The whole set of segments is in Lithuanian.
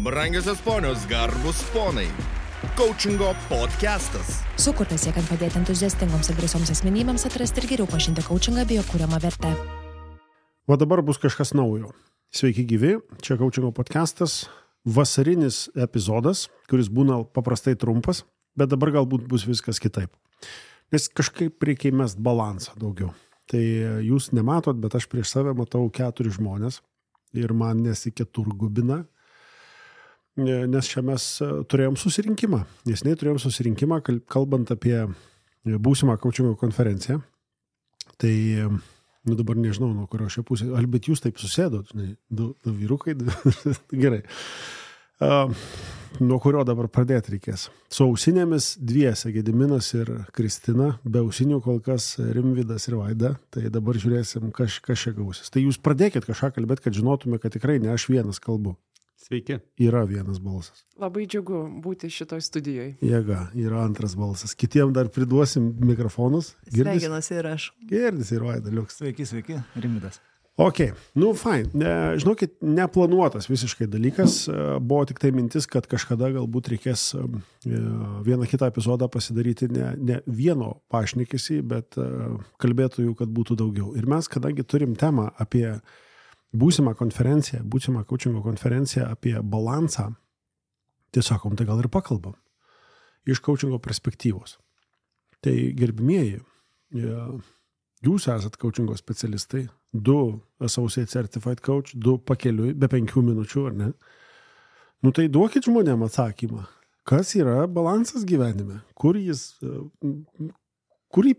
Brangiosios ponios, garbus ponai. Coachingo podcastas. Sukurtas siekiant padėti entuziastingoms ir drąsioms asmenybėms atrasti ir geriau pažinti coachingą bei jo kuriamą vertę. O dabar bus kažkas naujo. Sveiki gyvi, čia Coachingo podcastas, vasarinis epizodas, kuris būna paprastai trumpas, bet dabar galbūt bus viskas kitaip. Nes kažkaip reikia įmest balansą daugiau. Tai jūs nematot, bet aš prieš save matau 4 žmonės ir man nesiketurgubina, nes čia mes turėjom susirinkimą. Neseniai turėjom susirinkimą, kalbant apie būsimą coachingo konferenciją. Tai dabar nežinau, nuo kurio šia pusė, bet jūs taip susėdot, du vyrukai, gerai. Nuo kurio dabar pradėti reikės. Su ausinėmis dviese, Gediminas ir Kristina, be ausinių kol kas Rimvydas ir Vaida, tai dabar žiūrėsim, kas čia gausis. Tai jūs pradėkit kažką kalbėti, kad žinotume, kad tikrai ne aš vienas kalbu. Sveiki. Yra vienas balsas. Labai džiugu būti šitoj studijoje. Jėga, yra antras balsas. Kitiem dar priduosim mikrofonus. Sveikinuosi ir aš. Girdisi ir Vaida, liuks. Sveiki, Rimvydas. Ok, fine. Žinokit, neplanuotas visiškai dalykas. Buvo tik tai mintis, kad kažkada galbūt reikės vieną kitą epizodą pasidaryti ne vieno pašnekesį, bet kalbėtojų, kad būtų daugiau. Ir mes, kadangi turim temą apie būsimą coachingo konferenciją apie balansą, tai sakom, tai gal ir pakalbam iš coachingo perspektyvos. Tai gerbimieji, jūs esat coachingo specialistai, 2 Associate Certified Coach, 2 pakeliui, be 5 minučių, ar ne? Tai duokit žmonėm atsakymą. Kas yra balansas gyvenime? Kur jį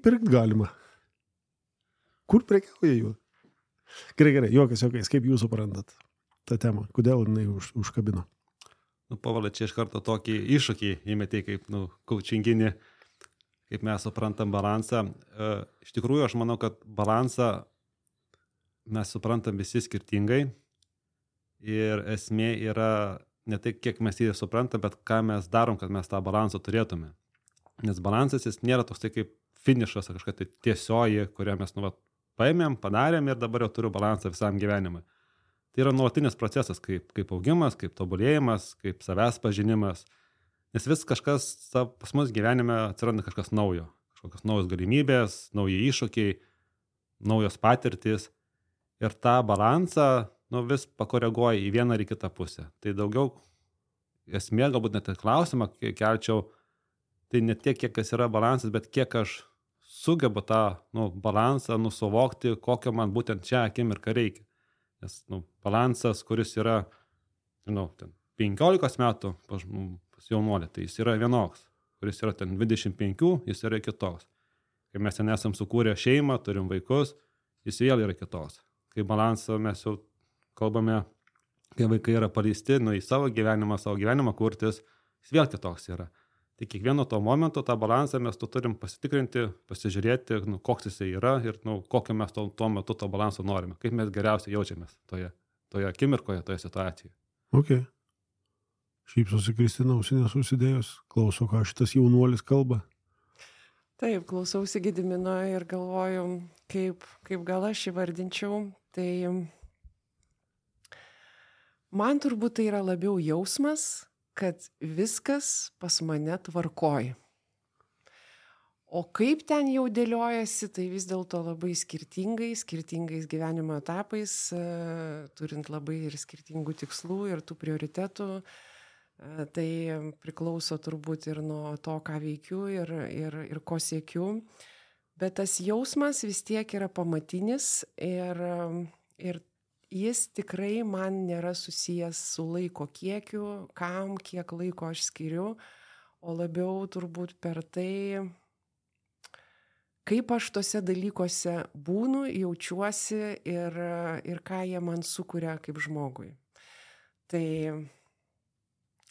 pirkt galima? Kur prekiauja jų? Gerai, juokas, kaip jūs suprantat tą temą? Kodėl jinai užkabino? Pavalė, čia iš karto tokį iššūkį įmetė kaip coachinginį, kaip mes suprantam balansą. Iš tikrųjų, aš manau, kad balansą mes suprantam visi skirtingai ir esmė yra ne tai, kiek mes jį suprantam, bet ką mes darom, kad mes tą balansą turėtume. Nes balansas jis nėra toks tai kaip finišas, kažkokia tai tiesioji, kurią mes paėmėm, padarėm ir dabar jau turiu balansą visam gyvenimui. Tai yra nuolatinis procesas, kaip augimas, kaip tobulėjimas, kaip savęs pažinimas. Nes vis kažkas pas mus gyvenime atsiranda kažkas naujo. Kažkokios naujos galimybės, nauji iššūkiai, naujos patirtys. Ir tą balansą vis pakoreguoja į vieną ar į kitą pusę. Tai daugiau esmė, galbūt net klausimą kelčiau, tai ne tiek, kiek yra balansas, bet kiek aš sugebu tą balansą suvokti, kokio man būtent čia akimirką reikia. Nes balansas, kuris yra 15 metų pas jaunuolį, tai jis yra vienoks. Kuris yra 25, jis yra kitoks. Kai mes ten esam sukūrę šeimą, turim vaikus, jis vėl yra kitoks. Kai balansą mes jau kalbame, kai vaikai yra paleisti į savo gyvenimą kurtis, jis vėl kitoks yra. Tai kiekvieno to momento tą balansą mes turim pasitikrinti, pasižiūrėti, koks jisai yra ir kokio mes tuo metu to balanso norime, kaip mes geriausiai jaučiamės toje akimirkoje, toje situacijoje. Ok. Šypsosi Kristina, ausinės užsidėjus, klauso, ką šitas jaunuolis kalba. Taip, klausausi Gedimino ir galvoju, kaip gal aš įvardinčiau. Tai man turbūt tai yra labiau jausmas, kad viskas pas mane tvarkoj. O kaip ten jau dėliojasi, tai vis dėlto labai skirtingais gyvenimo etapais, turint labai ir skirtingų tikslų ir tų prioritetų. Tai priklauso turbūt ir nuo to, ką veikiu ir ko siekiu. Bet tas jausmas vis tiek yra pamatinis ir jis tikrai man nėra susijęs su laiko kiekiu, kiek laiko aš skiriu, o labiau turbūt per tai, kaip aš tose dalykuose būnu, jaučiuosi ir ką jie man sukuria kaip žmogui. Tai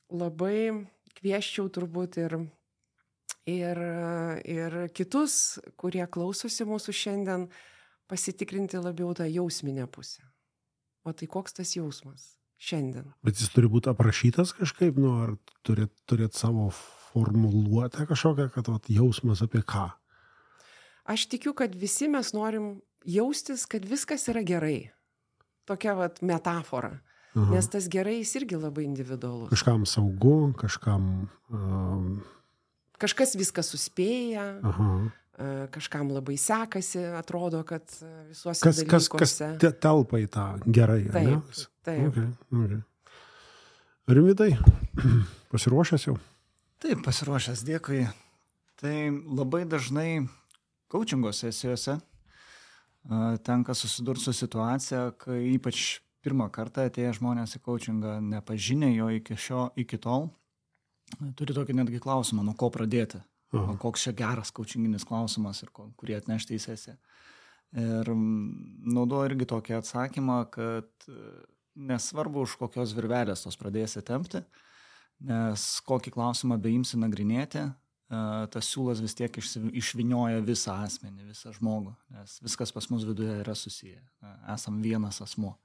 labai kviesčiau turbūt ir kitus, kurie klausosi mūsų šiandien, pasitikrinti labiau tą jausminę pusę. O tai koks tas jausmas šiandien? Bet jis turi būti aprašytas kažkaip, ar turėt savo formuluotę kažkokią, kad jausmas apie ką? Aš tikiu, kad visi mes norim jaustis, kad viskas yra gerai. Tokia metafora. Nes tas gerai jis irgi labai individualus. Kažkam saugu, kažkam... Kažkas viską suspėja, kažkam labai sekasi, atrodo, kad visuose dalykuose. Kas telpa į tą gerai, ne? Taip. Okay. Rimvydai, pasiruošęs jau? Taip, pasiruošęs, dėkui. Tai labai dažnai coachingo sesijose tenka susidurti su situacija, kai ypač pirmą kartą atėję žmonės į coachingą nepažinę jo iki tol, turi tokį netgi klausimą, nuo ko pradėti. Koks čia geras coachinginis klausimas ir kurį atnešti į sesiją. Ir naudoju irgi tokį atsakymą, kad nesvarbu, už kokios virvelės tos pradėsi tempti, nes kokį klausimą beimsi nagrinėti, tas siūlas vis tiek išvinioja visą asmenį, visą žmogų, nes viskas pas mus viduje yra susiję. Esam vienas asmuo.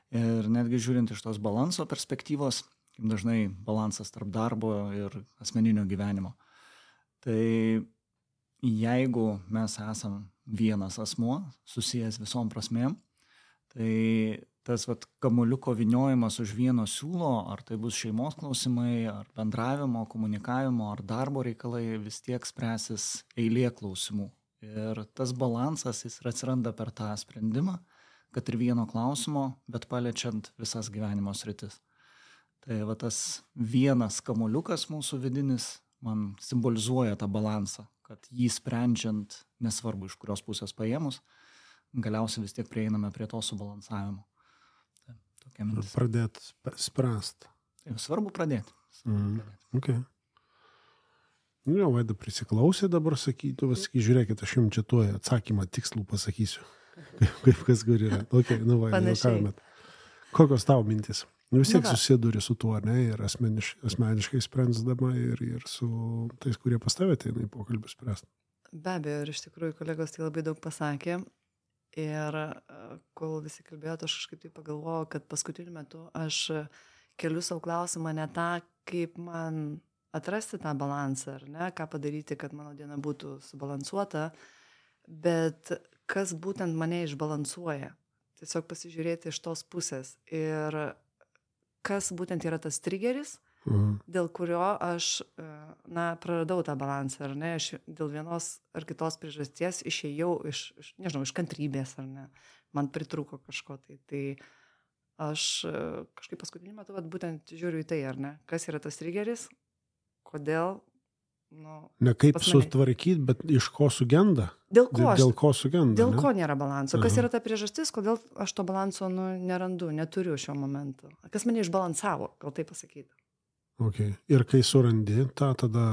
Ir netgi žiūrint iš tos balanso perspektyvos, dažnai balansas tarp darbo ir asmeninio gyvenimo. Tai jeigu mes esam vienas asmuo, susijęs visom prasmėm, tai tas kamuoliuko viniojimas už vieno siūlo, ar tai bus šeimos klausimai, ar bendravimo, komunikavimo, ar darbo reikalai, vis tiek spręsis eilė klausimų. Ir tas balansas jis atsiranda per tą sprendimą, kad ir vieno klausimo, bet paliečiant visas gyvenimo sritis. Tai tas vienas kamuoliukas mūsų vidinis man simbolizuoja tą balansą, kad jį sprendžiant, nesvarbu iš kurios pusės paėmus, galiausiai vis tiek prieiname prie to subalansavimo. Tai, tokia mintis. Pradėti spręsti. Tai svarbu pradėti. Okay. Vaida prisiklausė dabar, sakytų, žiūrėkit, aš jums čia tuo atsakymą tikslų pasakysiu. Kaip kas kur yra. Okay, Vaida, kokios tavo mintis? Vis tiek susiduri su tuo, ne, ir asmeniškai sprendzdama ir su tais, kurie pas tave ateina į pokalbį spręsti. Be abejo, ir iš tikrųjų kolegos tai labai daug pasakė. Ir kol visi kalbėjote, aš kažkaip tai pagalvojau, kad paskutiniu metu aš keliu savo klausimą ne tą, kaip man atrasti tą balansą, ar ne, ką padaryti, kad mano diena būtų subalansuota, bet kas būtent mane išbalansuoja. Tiesiog pasižiūrėti iš tos pusės. Ir kas būtent yra tas trigeris, dėl kurio aš praradau tą balansą, ar ne, aš dėl vienos ar kitos priežasties išėjau iš kantrybės, ar ne, man pritrūko kažko tai. Tai aš kažkaip paskutiniu metu būtent žiūriu į tai, ar ne, kas yra tas trigeris, kodėl. Ne kaip sutvarkyti, bet iš ko sugenda? Dėl ko sugenda? Dėl ko nėra balanso? Kas yra ta priežastis, kodėl aš to balanso nerandu, neturiu šiuo momentu? Kas mane išbalansavo, gal tai pasakyti? Okay. Ir kai surandi, tada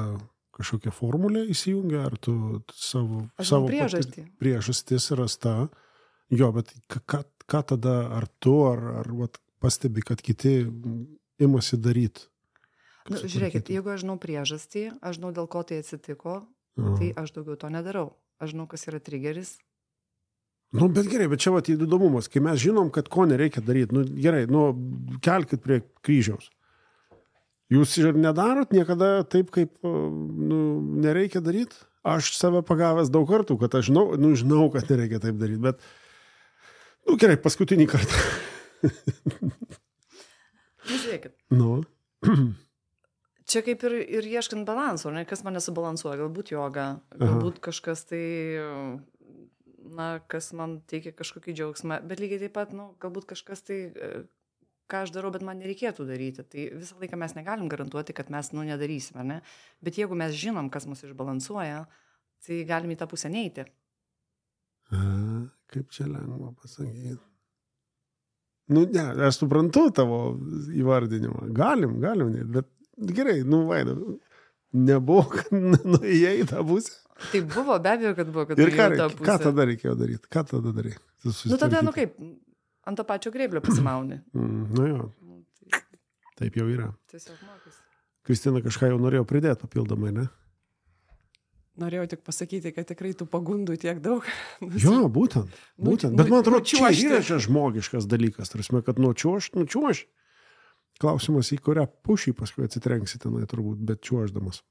kažkokia formulė įsijungia, ar tu savo priežastis rasta? Jo, bet ką tada, ar tu, ar pastebi, kad kiti imasi daryti? Žiūrėkit, jeigu aš žinau priežastį, aš žinau, dėl ko tai atsitiko, tai aš daugiau to nedarau. Aš žinau, kas yra trigeris. Bet gerai, bet čia įdomumas, kai mes žinom, kad ko nereikia daryti, gerai, kelkit prie kryžiaus. Jūs ir nedarot niekada taip, kaip nereikia daryti? Aš save pagavęs daug kartų, kad aš žinau, kad nereikia taip daryti, bet gerai, paskutinį kartą. Žiūrėkit. Čia kaip ir ieškant balanso, ne, kas mane subalansuoja, galbūt joga, galbūt kažkas tai, kas man teikia kažkokį džiaugsmą, bet lygiai taip pat, galbūt kažkas tai, ką aš darau, bet man nereikėtų daryti. Tai visą laiką mes negalim garantuoti, kad mes nedarysime, ne? Bet jeigu mes žinom, kas mus išbalansuoja, tai galim į tą pusę neiti. Kaip čia lengva pasakyti. Aš suprantu tavo įvardinimą. Galim, bet gerai, Vaida, nebuvo, kad nuėjai į tą pusę. Tai buvo, be abejo, kad buvo, kad nuėjai į tą pusę. Ką tada reikėjo daryti? Ką tada darai? Tada, kaip, ant to pačio grėblio pasimauni. Jo. Taip jau yra. Tiesiog mokys. Kristina kažką jau norėjo pridėti papildomai, ne? Norėjau tik pasakyti, kad tikrai tų pagundų tiek daug. Jo, būtent. Bet man atrodo, čia yra žmogiškas dalykas, tarsi, kad nučiuoš. Klausimas, į kurią pušį paskui atsitrenksi tenai turbūt, bet čiuoždamas.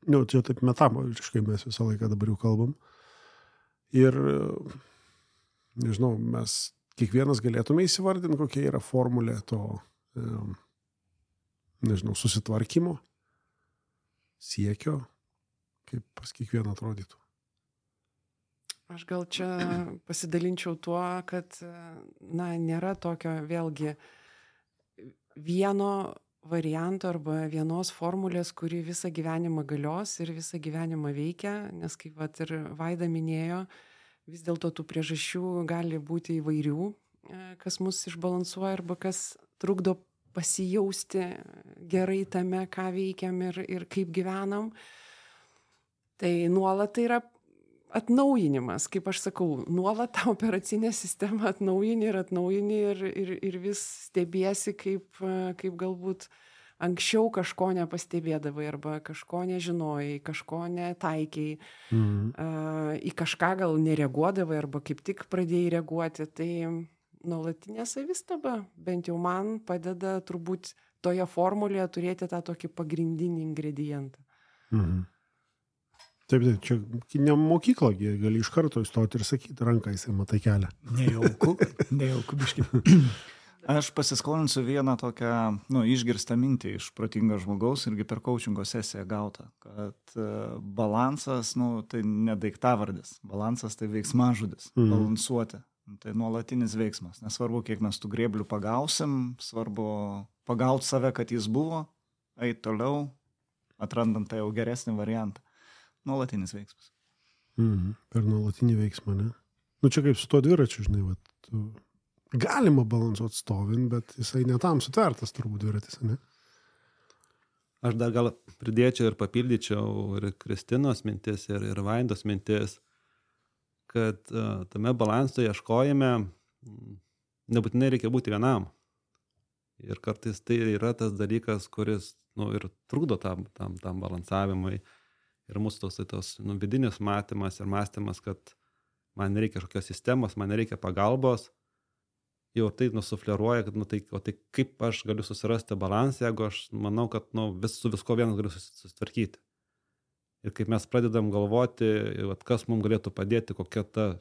Čia taip metaforiškai mes visą laiką dabar jau kalbam. Ir, nežinau, mes kiekvienas galėtume įsivardinti, kokia yra formulė to, nežinau, susitvarkymo, siekio, kaip pas kiekvieną atrodytų. Aš gal čia pasidalinčiau tuo, kad, nėra tokio vėlgi vieno varianto arba vienos formulės, kuri visą gyvenimą galios ir visą gyvenimą veikia, nes kaip vat ir Vaida minėjo, vis dėlto tų priežasčių gali būti įvairių, kas mus išbalansuoja arba kas trukdo pasijausti gerai tame, ką veikiam ir kaip gyvenam. Tai nuolat tai yra atnaujinimas, kaip aš sakau, nuolat tą operacinę sistemą atnaujini ir vis stebiesi, kaip galbūt anksčiau kažko nepastebėdavai arba kažko nežinojai, kažko netaikiai, į kažką gal nereaguodavai arba kaip tik pradėjai reaguoti. Tai nuolatinė savistaba, bent jau man padeda turbūt toje formulėje turėti tą tokį pagrindinį ingredientą. Taip, čia ne mokykla, gali iš karto įstoti ir sakyti, ranką jisai matai kelią. Nejauku biški. Aš pasiskolinsiu vieną tokią, išgirstą mintį iš protingo žmogaus irgi per coachingo sesiją gautą, kad balansas, tai ne daiktavardis, balansas tai veiksmažodis, balansuoti. Tai nuolatinis veiksmas. Nesvarbu, kiek mes tų grėblių pagausim, svarbu pagauti save, kad jis buvo, eiti toliau, atrandant tą jau geresnį variantą. Nuolatinis veiksmas. Per nuolatinį veiksmą, ne? Čia kaip su to dviračiu, žinai, galima balansuoti stovint, bet jisai netam sutvertas turbūt dviratis, ne? Aš dar gal pridėčiau ir papildyčiau ir Kristinos mintis, ir Vaidos mintis, kad tame balanso ieškojime nebūtinai reikia būti vienam. Ir kartais tai yra tas dalykas, kuris ir trukdo tam balansavimui. Ir mūsų tos vidinis matymas ir mąstymas, kad man nereikia kažkokios sistemos, man nereikia pagalbos, jau tai nusufleruoja, kad tai kaip aš galiu susirasti balansą, jeigu aš manau, kad su visko vienas galiu susitvarkyti. Ir kaip mes pradedam galvoti, kas mums galėtų padėti, kokia ta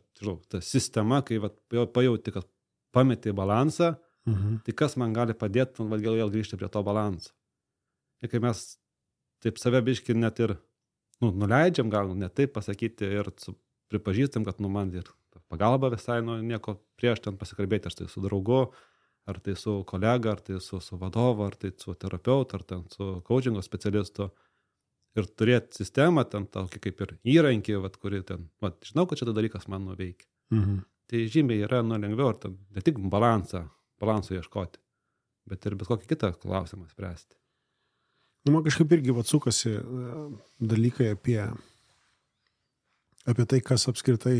sistema, kai pajauti, kad pameti balansą, tai kas man gali padėti, vėl grįžti prie to balanso. Ir kai mes taip save biški net ir nuleidžiam, gal ne taip pasakyti ir pripažįstam, kad man ir pagalba visai nieko prieš ten pasikalbėti, ar tai su draugu, ar tai su kolega, ar tai su vadovu, ar tai su terapeutu, ar ten su coachingo specialistu. Ir turėti sistemą, ten tokį kaip ir įrankį, kuri ten, žinau, kad šitą dalykas man nuveikia. Tai žymiai yra lengviau, ar ten ne tik balanso ieškoti, bet ir bet kokį kitą klausimą spręsti. Man kažkaip irgi sukasi dalykai apie tai, kas apskritai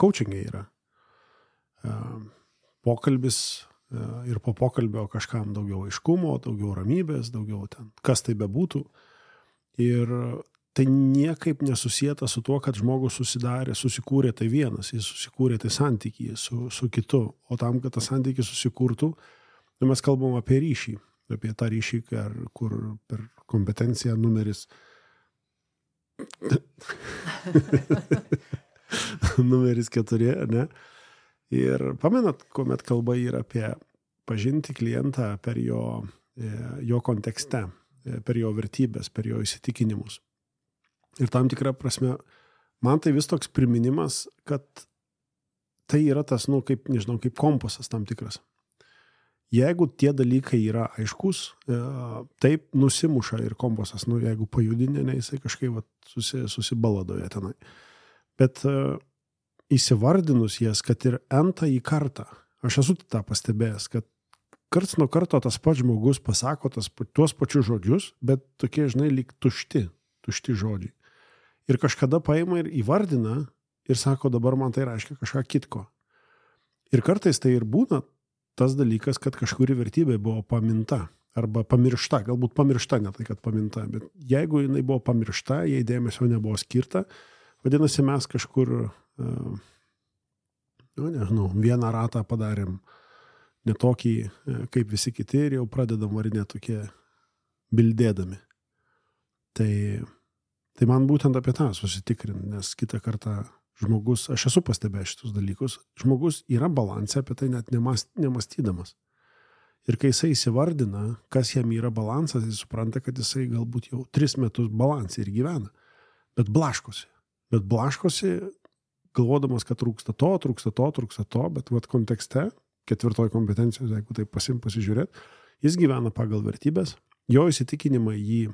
coachingai yra. Pokalbis ir po pokalbio kažkam daugiau aiškumo, daugiau ramybės, daugiau ten, kas tai bebūtų. Ir tai niekaip nesusieta su tuo, kad žmogus susikūrė tai vienas, jis susikūrė tai santykį su kitu. O tam, kad tas santykis susikurtų, mes kalbam apie ryšį, apie tą ryšį, kur per kompetenciją numeris 4, ne? Ir pamenat, kuomet kalba yra apie pažinti klientą per jo kontekste, per jo vertybės, per jo įsitikinimus. Ir tam tikrą prasme, man tai vis toks priminimas, kad tai yra tas, kaip kompasas tam tikras. Jeigu tie dalykai yra aiškus, taip nusimuša ir kompasas, jeigu pajudinė, jisai kažkaip susibaladoja tenai. Bet įsivardinus jas, kad ir entąjį kartą, aš esu tą pastebėjęs, kad karts nuo karto tas pats žmogus pasako tuos pačius žodžius, bet tokie, lyg tušti žodžiai. Ir kažkada paima ir įvardina ir sako, dabar man tai reiškia kažką kitko. Ir kartais tai ir būna tas dalykas, kad kažkuri vertybė buvo paminta arba pamiršta, galbūt pamiršta, ne tai, kad paminta, bet jeigu jinai buvo pamiršta, jei dėmesio nebuvo skirta, vadinasi, mes kažkur, vieną ratą padarėm ne tokį, kaip visi kiti, ir jau pradedam varinėti tokie bildėdami. Tai man būtent apie tą susitikrinti, nes kitą kartą žmogus, aš esu pastebėjęs šitus dalykus, žmogus yra balansė apie tai net nemastydamas. Ir kai jisai įsivardina, kas jam yra balansas, jis supranta, kad jisai galbūt jau 3 metus balansai ir gyvena. Bet blaškosi. Galvodamas, kad trūksta to, bet vat kontekste, 4 kompetencijos, jeigu tai pasižiūrėt, jis gyvena pagal vertybės, jo įsitikinimai jį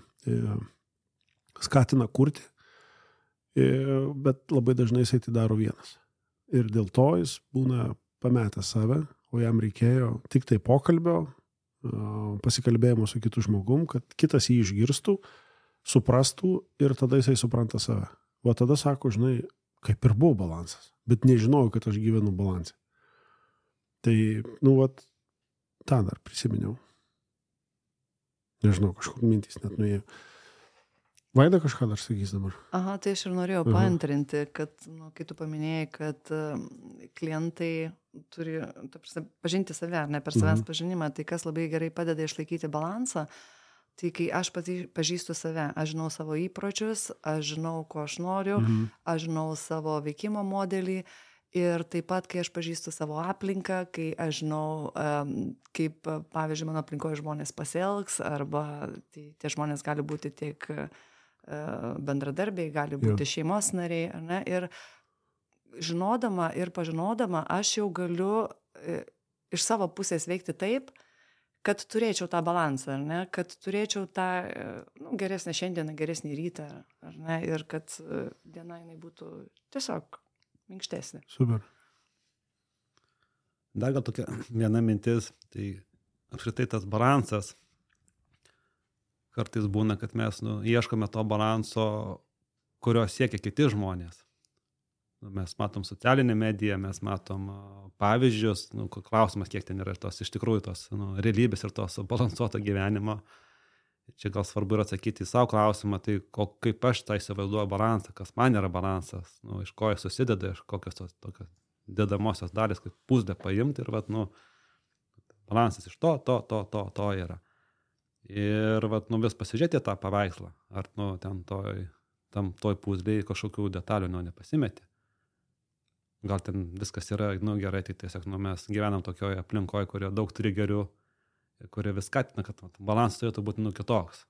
skatina kurti, bet labai dažnai jisai tai daro vienas. Ir dėl to jis būna pametęs save, o jam reikėjo tik tai pokalbio, pasikalbėjimo su kitu žmogum, kad kitas jį išgirstų, suprastų ir tada jisai supranta save. O tada sako, žinai, kaip ir buvo balansas, bet nežinojau, kad aš gyvenu balansą. Tai, tą dar prisiminiau. Nežinau, kažkur mintys net nuėjo. Vaida kažką dar sakys dabar. Aha, tai aš ir norėjau paantrinti, kad, kai tu paminėjai, kad klientai turi pažinti save, ar ne per savęs pažinimą, tai kas labai gerai padeda išlaikyti balansą, tai kai aš pažįstu save, aš žinau savo įpročius, aš žinau, ko aš noriu, aš žinau savo veikimo modelį ir taip pat, kai aš pažįstu savo aplinką, kai aš žinau, kaip, pavyzdžiui, mano aplinkoje žmonės pasielgs, arba tie žmonės gali būti tiek bendradarbiai, gali būti šeimos nariai, ar ne? Ir žinodama ir pažinodama, aš jau galiu iš savo pusės veikti taip, kad turėčiau tą balansą, ar ne? Kad turėčiau tą geresnę šiandieną, geresnį rytą, ar ne? Ir kad diena jinai būtų tiesiog minkštesnė. Super. Dar gal tokia viena mintis, tai apskritai tas balansas, kartais būna, kad mes ieškome to balanso, kurio siekia kiti žmonės. Mes matom socialinę mediją, mes matom pavyzdžius, klausimas, kiek ten yra tos iš tikrųjų tos realybės ir tos balansuoto gyvenimo. Čia gal svarbu yra atsakyti į savo klausimą, tai kaip aš tą įsivaizduoju balansą, kas man yra balansas, iš ko jis susideda, iš kokios tos tokios dedamosios dalis, kaip puzlę paimti ir balansas iš to yra. Ir vis pasižiūrėti tą paveikslą, ar ten toj puzlėje kažkokių detalių nepasimetė. Gal ten viskas yra gerai, tai tiesiog mes gyvenam tokioje aplinkoje, kurioje daug trigerių, kurie vis skatina, kad balansas turėtų būti kitoks.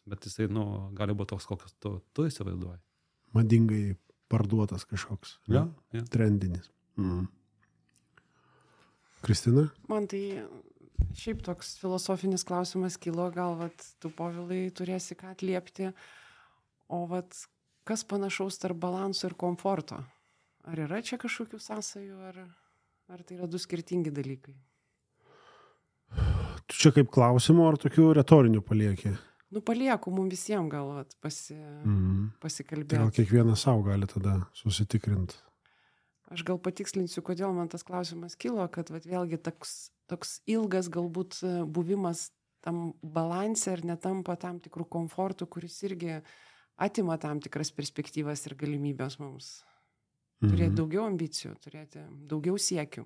Bet jisai gali būti toks, kokius tu įsivaizduoji. Madingai parduotas kažkoks. Trendinis. Kristina? Man tai šiaip toks filosofinis klausimas kilo, gal tu, Povilai, turėsi ką atliepti, o kas panašaus tarp balanso ir komforto? Ar yra čia kažkokių sąsajų, ar tai yra 2 skirtingi dalykai? Tu čia kaip klausimo ar tokių retorinių palieki? Palieku mums visiems gal pasikalbėti. Tai gal kiekvienas savo gali tada susitikrinti. Aš gal patikslinsiu, kodėl man tas klausimas kilo, kad vėlgi toks ilgas galbūt buvimas tam balanse ir netampa tam tikrų komfortų, kuris irgi atima tam tikras perspektyvas ir galimybės mums. Turėti daugiau ambicijų, turėti daugiau siekių.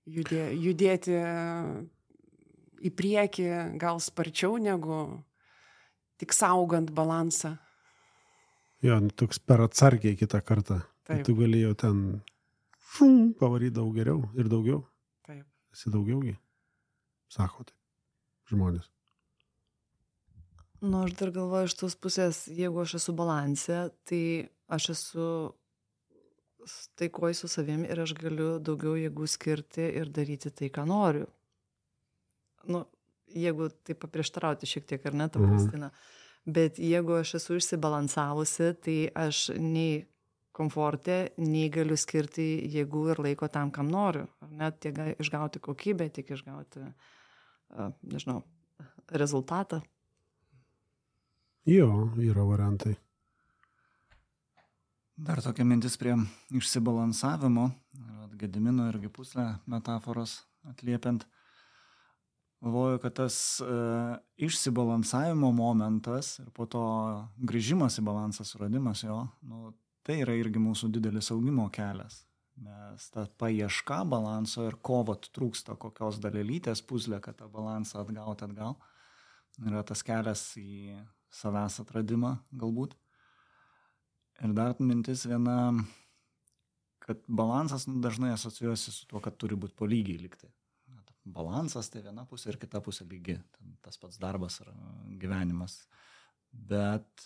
Judėti į priekį gal sparčiau negu tik saugant balansą. Jo, toks per atsargiai kitą kartą. Taip. Tu gali jau ten pavaryti daug geriau ir daugiau. Taip. Esi daugiaugi, sako taip žmonės. Aš dar galvoju iš tos pusės, jeigu aš esu balanse, tai aš esu taikoj su savimi ir aš galiu daugiau jėgų skirti ir daryti tai, ką noriu. Jeigu tai paprieštarauti šiek tiek, ar ne, ta Kristina. Bet jeigu aš esu išsibalansavusi, tai aš nei komforte, nei galiu skirti jėgų ir laiko tam, kam noriu. Ar net tiek išgauti kokybę, tiek išgauti, rezultatą. Jo, yra variantai. Dar tokia mintis prie išsibalansavimo, Gedimino irgi puslę metaforos atliepiant. Galvoju, kad tas išsibalansavimo momentas ir po to grįžimas į balansą, suradimas jo, tai yra irgi mūsų didelis augimo kelias. Nes ta paieška balanso ir ko trūksta, kokios dalelytės puzlė, kad tą balansą atgauti atgal, yra tas kelias į savęs atradimą galbūt. Ir dar mintis viena, kad balansas dažnai asocijuosi su tuo, kad turi būti po lygiai likti. Balansas tai viena pusė ir kita pusė lygi. Tas pats darbas ar gyvenimas. Bet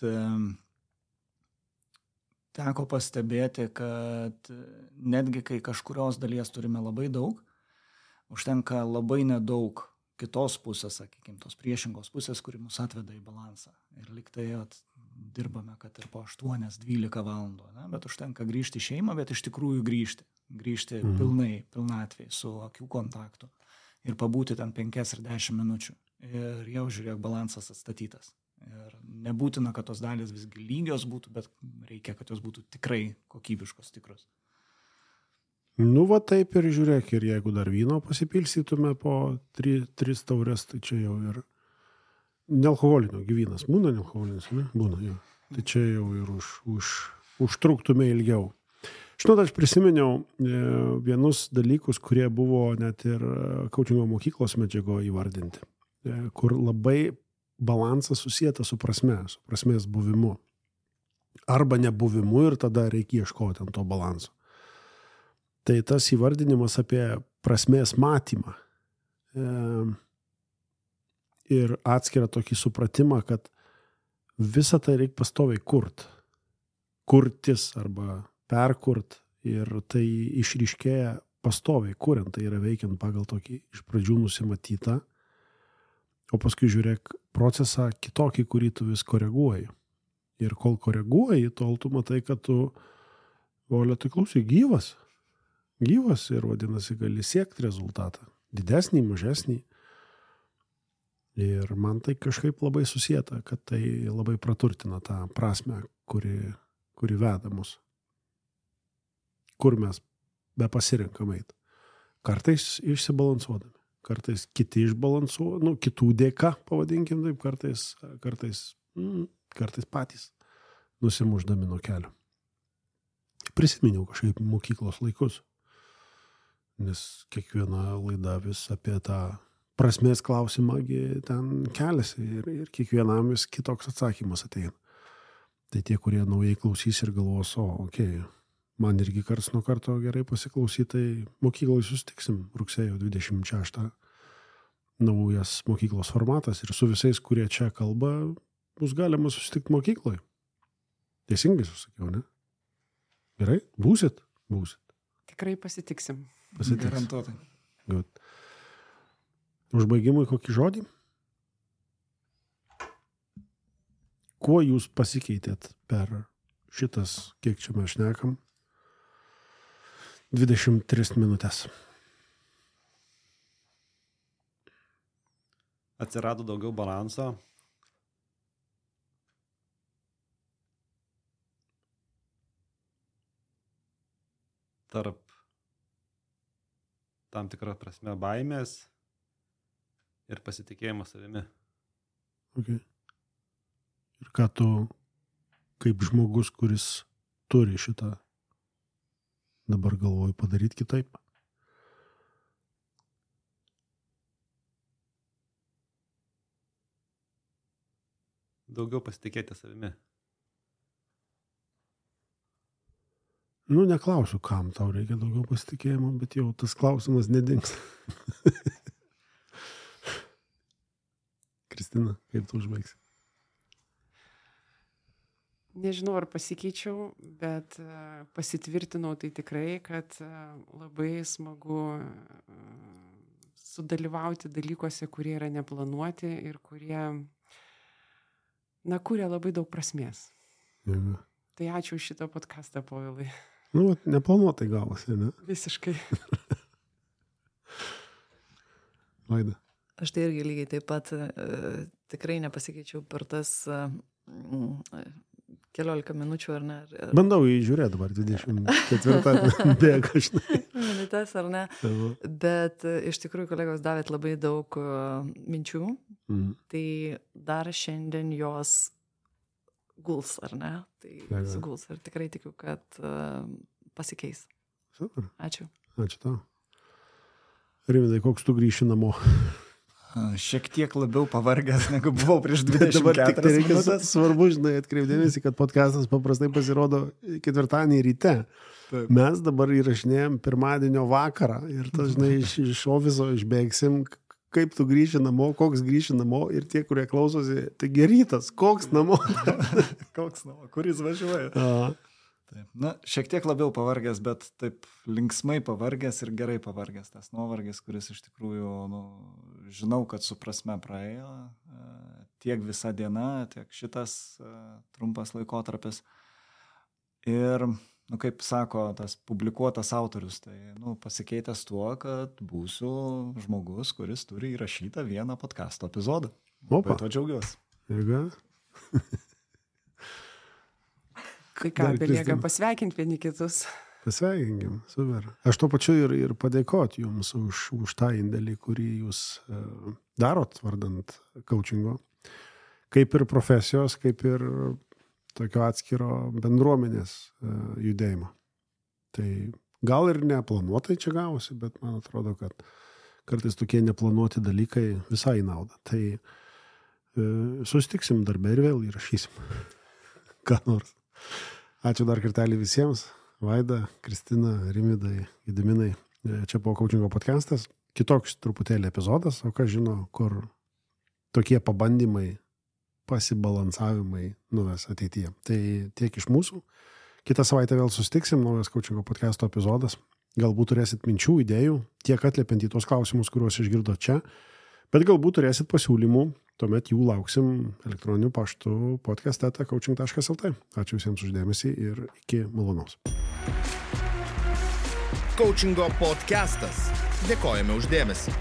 teko pastebėti, kad netgi kai kažkurios dalies turime labai daug, užtenka labai nedaug kitos pusės, sakykime, tos priešingos pusės, kuri mus atveda į balansą. Ir liktai dirbame, kad ir po 8-12 valandų, ne? Bet užtenka grįžti į šeimą, bet iš tikrųjų grįžti pilnatvėj su akių kontaktu ir pabūti ten 5 ir 10 minučių. Ir jau žiūrėk, balansas atstatytas. Ir nebūtina, kad tos dalys visgi lygios būtų, bet reikia, kad jos būtų tikrai kokybiškos, tikros. Nu, va taip ir žiūrėk, ir jeigu dar vyno pasipilstytume po 3 taurės, tai čia jau ir nealkoholinio gyvynas. Būna nealkoholinis, ne? Būna, jo. Tai čia jau ir užtruktume ilgiau. Žinot, aš prisiminiau vienus dalykus, kurie buvo net ir coachingo mokyklos medžiago įvardinti, kur labai balansas susijęta su prasmės buvimu. Arba nebuvimu ir tada reikia ieškoti ant to balanso. Tai tas įvardinimas apie prasmės matymą ir atskirą tokį supratimą, kad visą tai reikia pastoviai kurtis arba perkurt ir tai išryškėja pastoviai kuriant, tai yra veikiant pagal tokį iš pradžių nusimatytą, o paskui žiūrėk procesą kitokį, kurį tu vis koreguoji. Ir kol koreguoji, tol tu matai, kad tu, Olia, tai klausai, gyvas ir vadinasi gali siekti rezultatą. Didesnį, mažesnį. Ir man tai kažkaip labai susieta, kad tai labai praturtina tą prasmę, kuri veda mus. Kur mes be pasirinkam eit. Kartais išsibalansuodami. Kartais kiti išbalansuoja, kitų dėka, pavadinkim taip, kartais patys nusimušdami nuo kelio. Prisiminiau kažkaip mokyklos laikus, nes kiekviena laida vis apie tą prasmės klausimą ten keliasi ir kiekvienam vis kitoks atsakymas ateina. Tai tie, kurie naujai klausys ir galvos, man irgi karts nuo karto gerai pasiklausyti, tai mokykloje susitiksim rugsėjo 26. Naujas mokyklos formatas ir su visais, kurie čia kalba, bus galima susitikti mokykloje. Teisingai susakiau, ne? Gerai? Būsit? Tikrai pasitiksim. Garantuotai. Good. Užbaigimui kokį žodį? Kuo jūs pasikeitėt per šitas, kiek čia mes šnekam, 23 minutės? Atsirado daugiau balanso. Tarp tam tikrą prasme baimės ir pasitikėjimo savimi. Okay. Ir ką tu, kaip žmogus, kuris turi šitą, dabar galvoju padaryti kitaip? Daugiau pasitikėti savimi. Neklausiu, kam tau reikia daugiau pasitikėjimo, bet jau tas klausimas nedings. Kristina, kaip tu užbaigsi? Nežinau, ar pasikeičiau, bet pasitvirtinau tai tikrai, kad labai smagu sudalyvauti dalykuose, kurie yra neplanuoti ir kurie, kuria labai daug prasmės. Ja. Tai ačiū už šitą podcastą, Povilai. Neplanuotai gavosi, ne? Visiškai. Vaida. Aš tai irgi lygiai taip pat tikrai nepasikeičiau per tas 14 minučių, ar ne? Bandau įžiūrėti dabar 24 bėga, žinai. Minutės, ar ne? Bet iš tikrųjų kolegos davėt labai daug minčių. Tai dar šiandien jos guls, ar ne? Tai guls ir tikrai tikiu, kad pasikeis. Super. Ačiū. Ačiū tau. Rimvydai, koks tu grįši namo? Šiek tiek labiau pavargęs, negu buvau prieš 24 Dabar tik tai reikia minutės. svarbu, žinai, atkreipdėmėsi, kad podcastas paprastai pasirodo ketvirtadienį ryte. Taip. Mes dabar įrašinėjom pirmadienio vakarą ir tas, žinai, iš ofiso išbėgsim, kaip tu grįši namo, koks grįši namo ir tie, kurie klausosi, tai gerytas, koks namo. Koks namo, kuris važiuoja. A, Taip. Na, šiek tiek labiau pavargęs, bet taip linksmai pavargęs ir gerai pavargęs. Tas nuovargis, kuris iš tikrųjų, žinau, kad su prasme praėjo tiek visa diena, tiek šitas trumpas laikotarpis. Ir, kaip sako tas publikuotas autorius, tai, pasikeitęs tuo, kad būsiu žmogus, kuris turi įrašytą vieną podcasto epizodą. Opa. Bet to džiaugiuosi. jėga. Tai ką, Dar belieka Kristina. pasveikinti vieni kitus. Pasveikinkim, super. Aš to pačiu ir padėkoti jums už tą indėlį, kurį jūs darot vardant coachingo. Kaip ir profesijos, kaip ir tokio atskiro bendruomenės judėjimo. Tai gal ir neplanuotai čia gavosi, bet man atrodo, kad kartais tokie neplanuoti dalykai visai nauda. Tai susitiksim darbę ir vėl įrašysim. Ką nors. Ačiū dar kartelį visiems. Vaida, Kristina, Rimidai, Gediminai. Čia buvo coachingo podcastas. Kitoks truputėlį epizodas, o ką žino, kur tokie pabandymai, pasibalansavimai nuves ateityje. Tai tiek iš mūsų. Kitą savaitę vėl susitiksim, naujas coachingo podcasto epizodas. Galbūt turėsit minčių, idėjų, tiek atliepiant į tos klausimus, kuriuos išgirdo čia, bet galbūt turėsit pasiūlymų, tuomet jų lauksim elektroniniu paštu podcast@coaching.lt. Ačiū visiems už dėmesį ir iki malonaus. Coachingo podcastas. Dėkojame už dėmesį.